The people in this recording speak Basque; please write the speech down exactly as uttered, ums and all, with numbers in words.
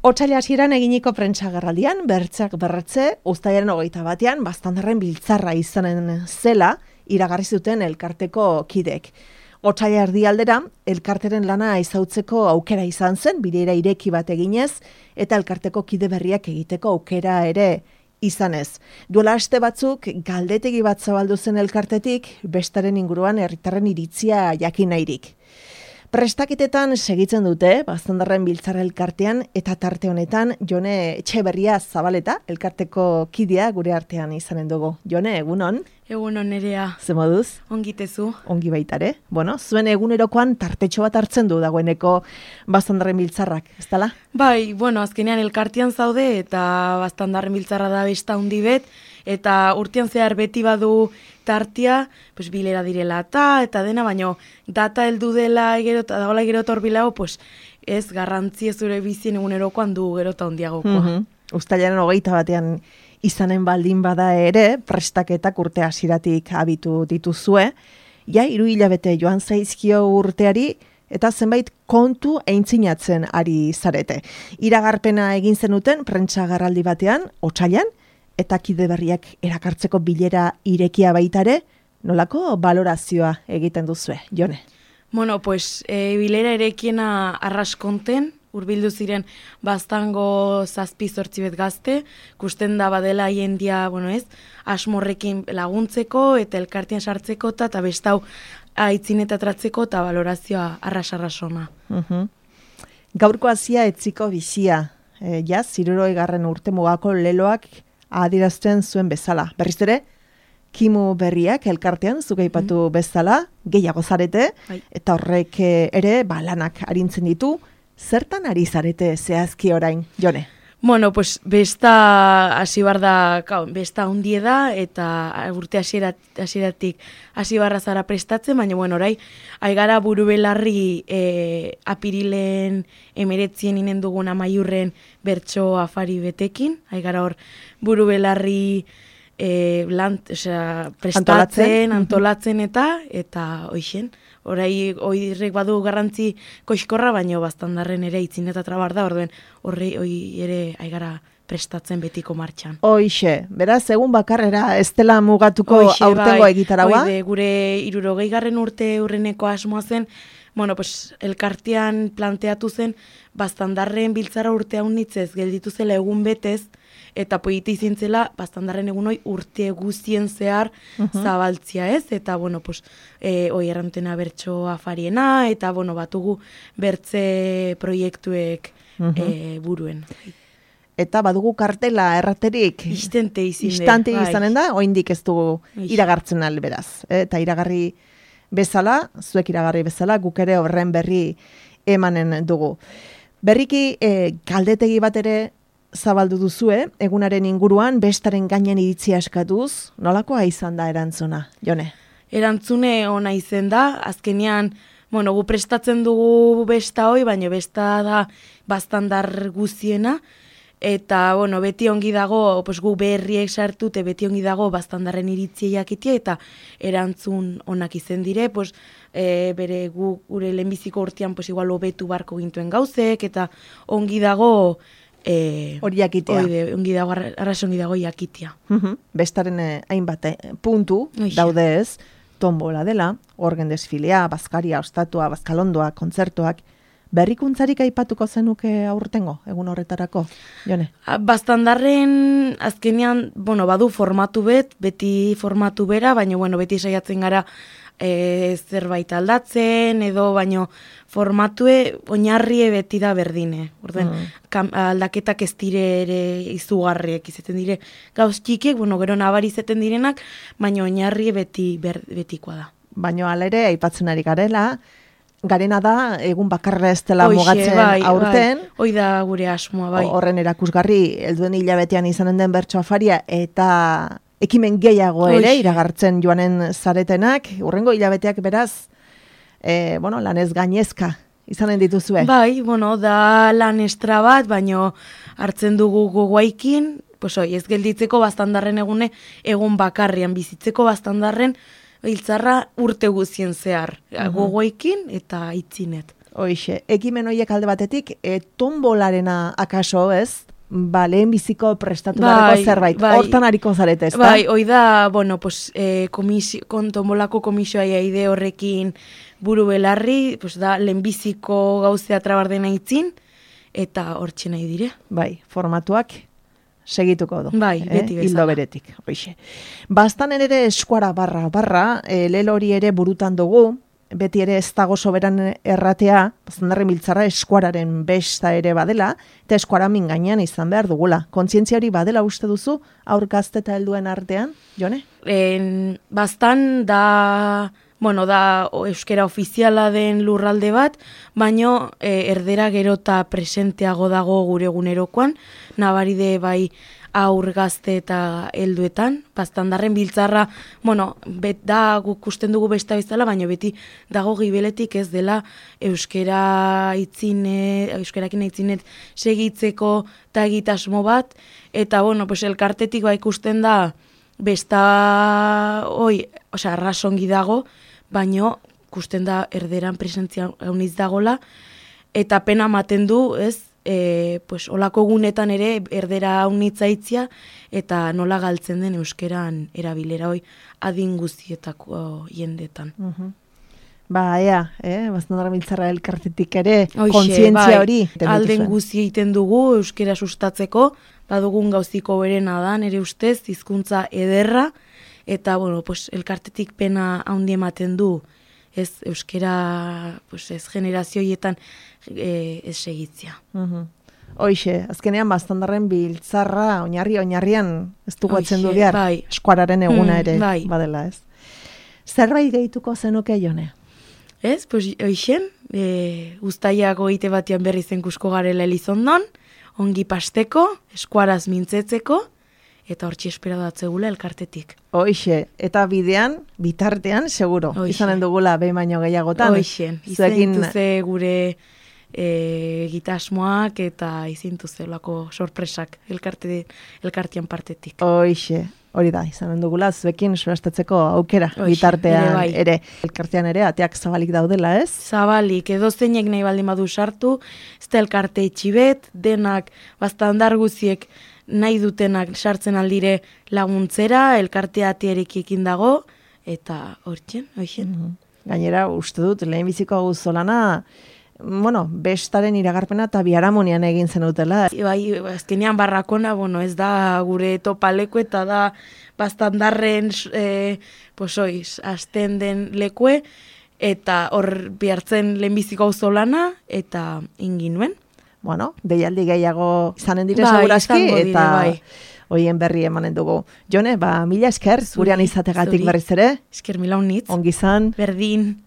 Otsaila hasieran eginiko prentsagerraldian, bertzak berretze, uztailaren hogeita batean, Baztandarren biltzarra izanen zela, iragarri zuten elkarteko kidek. Otsaila erdialdera, elkarteren lana ezautzeko aukera izan zen, bilera ireki bat eginez, eta elkarteko kide berriak egiteko aukera ere izanez. Duela aste batzuk, galdetegi bat zabaldu zen elkartetik, bestaren inguruan herritarren iritzia jakin nahirik. Prestaketetan segitzen dute, Baztandarren biltzarra elkartean, eta tarte honetan, Jone Etxeberria Zabaleta, elkarteko kidea gure artean izanen dugu. Jone, egunon? Egunon nerea. Ze moduz? Ongitezu. Ongi baitare. Bueno, zuen egunerokoan tartetxo bat hartzen du dagoeneko Baztandarren biltzarrak, ez dala? Bai, bueno, azkenean elkartean zaude, eta Baztandarren biltzarra da besta handi bet, eta urtean zehar beti badu tartia, pues bilera direla eta, eta dena, baino data heldu dela gero eta dagoela gero eta horbilago, pues ez garrantzia zure bizien egunerokoan du gero eta hondiagokoa. Mm-hmm. Uztailaren hogeita batean izanen baldin bada ere, prestaketak urte hasiratik abitu dituzue, ja hiru hilabete joan zaizkio urteari, eta zenbait kontu aintzinatzen ari zarete. Iragarpena egin zenuten prentsagarraldi batean, otsailean, eta kide berriak erakartzeko bilera irekia baitare, nolako balorazioa egiten duzue, Jone? Bueno, pues e, bilera irekiena arraskonten, hurbildu ziren Baztango zazpi zortzi bet gazte, kusten da badela jendia, bueno ez, asmorrekin laguntzeko eta elkartean sartzeko eta, eta bestau aitzinetatratzeko eta balorazioa arras-arrasona. Uh-huh. Gaurko hasia etziko bizia, e, ja, ziruroi garren urte mugako leloak adirazten zuen bezala. Berriz ere, kimu berriak elkartean zuk aipatu mm. bezala, gehiago zarete, bai. Eta horrek ere ba, lanak arintzen ditu. Zertan ari zarete zehazki orain, Jone? Bueno, pues besta hasi bar da, besta hundie da, eta urte hasieratik hasi barra zara prestatzen, baina bueno, orai, aigara buru belarri e, apirilen emeretzien inen dugun amaiurren bertso afari betekin, aigara hor buru belarri e, lan, osea, prestatzen, antolatzen, antolatzen eta, eta hoixen. Orai, oirrek badu garrantzi koixkorra, baino Baztandarren ere itzin eta trabar da, orduen horri oi ere aigara prestatzen betiko martxan. Hoixe, beraz, egun bakarrera ez dela mugatuko Oixe, aurtengo bai, egitaragoa? Oide, gure hirurogei garren urte urreneko asmoa zen, bueno, pues, elkartean planteatu zen, Baztandarren biltzara urte haunitzez gelditu zela egun betez, eta poite izin zela Baztandarren egun hoi urte guztien zehar uh-huh. zabaltzia ez, eta bueno, pues, e, oi errantena bertso afariena, eta bueno, batugu bertze proiektuek uh-huh. e, buruen. Eta badugu kartela erraterik. Istente izin. Istante izanen da, oindik ez dugu iragartzen alberaz. Eta iragarri bezala, zuek iragarri bezala, guk ere horren berri emanen dugu. Berriki, e, galdetegi bat ere zabaldu duzue, egunaren inguruan, bestaren gainen iritzia eskatuz, nolakoa izan da erantzuna, Jone? Erantzune ona izen da, azkenean, bueno, gu prestatzen dugu besta hoi, baina besta da Baztandar guziena, eta, bueno, beti ongi dago, pues, gu berriek sartute, beti ongi dago Baztandarren iritzia jakitia, eta erantzun onak izen dire, pues, e, bere gu, gure lehenbiziko urtean, pues, igual hobetu barko gintuen gauzek, eta ongi dago, E, hori jakitea. Oide, ongi dago, arras ongi dago jakitea. Uh-huh. Bestaren eh, hainbat eh, puntu Oixe. Daude ez, tombola dela, orgen desfilea, bazkaria, ostatua, bazkalondoa, kontzertuak, berrikuntzarik aipatuko zenuke aurtengo, egun horretarako, Jone? Baztandarren azkenean, bueno, badu formatu bet, beti formatu bera, baina bueno, beti saiatzen gara e, zerbait aldatzen, edo baino formatue oinarrie beti da berdine. Orden, mm. aldaketak ez dire ere izugarriek izaten dire gauz txikiek, bueno, gero nabari izaten direnak, baina oinarrie beti ber, betikoa da. Baina hala ere aipatzen ari garela, garena da egun bakarra ez dela Oixe, mugatzen bai, aurten. Bai, hoi da gure asmoa, bai. Horren erakusgarri, helduen hilabetean izanen den bertso afaria, eta ekimen gehiago ere, Oixe. Iragartzen joanen zaretenak, urrengo hilabeteak beraz, e, bueno, lanez gainezka izanen dituzue. Bai, bueno, da lan estra bat, baino hartzen dugu gogoaikin, pues oi, ez gelditzeko Baztandarren egune, egun bakarrian bizitzeko Baztandarren, Biltzarra urte guzien zehar, uh-huh. gogoikin eta itzinet. Hoixe, ekimen horiek alde batetik, e, tombolarena akaso, ez? Ba, lehen biziko prestatu bai, zerbait. Bai, hortan hariko zarete, ez da? Bai, hoi da, bueno, pues, eh, komisio, kontombolako komisioa ide horrekin buru belarri, pues, da, lehen biziko gauzea trabardena itzin, eta hortxe nahi dire. Bai, formatuak segituko du. Bai, beti bezala. Hildo beretik, hoixe. Bastan ere eskuara barra, barra, e, lelo hori ere burutan dugu, beti ere ez dago soberan erratea, Baztandarren biltzarra eskuararen besta ere badela, eta eskuara mingainan izan behar dugula. Kontzientzia hori badela uste duzu, aur gazte eta helduen artean, Jone? En, bastan da, bueno, da euskera ofiziala den lurralde bat, baino e, erdera gero eta presenteago dago gure egunerokoan, nabaride bai aur gazte eta helduetan, Baztandarren biltzarra, bueno, bet da guk usten dugu besta bezala, baina beti dago gibeletik ez dela euskera itzine, euskerakin itzinet segitzeko eta egitasmo bat, eta bueno, pues elkartetik ba ikusten da besta hoi, osea, arrasongi dago, baino ikusten da erderan presentzia hauniz dagola, eta pena ematen du, ez, E, pues, olako gunetan ere erdera haunitza itzia eta nola galtzen den euskeran erabilera hoi adin guztietako jendetan. Uh-huh. Ba, ea, eh? Baztandarren biltzarra elkartetik ere kontzientzia hori. Bai, alden guzti egiten dugu euskera sustatzeko, badugun gauziko berena da, nire ustez, hizkuntza ederra, eta bueno, pues, elkartetik pena haundi ematen du, ez euskera, pues, ez generazioietan e, ez segitzia. Uh-huh. Hoixe, azkenean Baztandarren biltzarra oinarri oinarrian ez dugu atzen du behar, bai. eskuararen eguna ere mm, bai. badela, ez? Zerbait gehituko zenuke, Jone? Ez, pues, hoixen, e, uztaiak goite batean berri zenkusko garela Elizondon, ongi pasteko, eskuaraz mintzetzeko, eta hortxe espera datzegula elkartetik. Hoixe, eta bidean, bitartean, seguro, Hoixe. Izanen dugula behin baino gehiagotan. Hoixen, izaintuze gure e, gitasmoak eta izaintuze lako sorpresak elkarte, elkartean partetik. Hoixe, hori da, izanen dugula, zuekin solastatzeko aukera, Hoixe, bitartean ere, bai. ere, elkartean ere, ateak zabalik daudela, ez? Zabalik, edo zeinek nahi baldin badu sartu, ez da elkarte itxibet, denak, Baztandar guziek, nahi dutenak sartzen aldire laguntzera, elkartea atierekiekin dago, eta hortzen, hoixen. Mm-hmm. Gainera, uste dut, lehenbiziko auzolana, bueno, bestaren iragarpena eta biharamonian egin zenutela. Bai, azkenean barrakona, bueno, ez da gure topaleko eta da Baztandarren, e, pues oiz, azten den lekue, eta hor bihartzen lehenbiziko auzolana, eta inginuen. Bueno, deialdi gehiago izanen dire bai, segurazki, eta bai. Hoien berri emanen dugu. Jone, ba, mila esker, gurean izategatik berriz ere. Esker mila unitz. Ongizan. Berdin.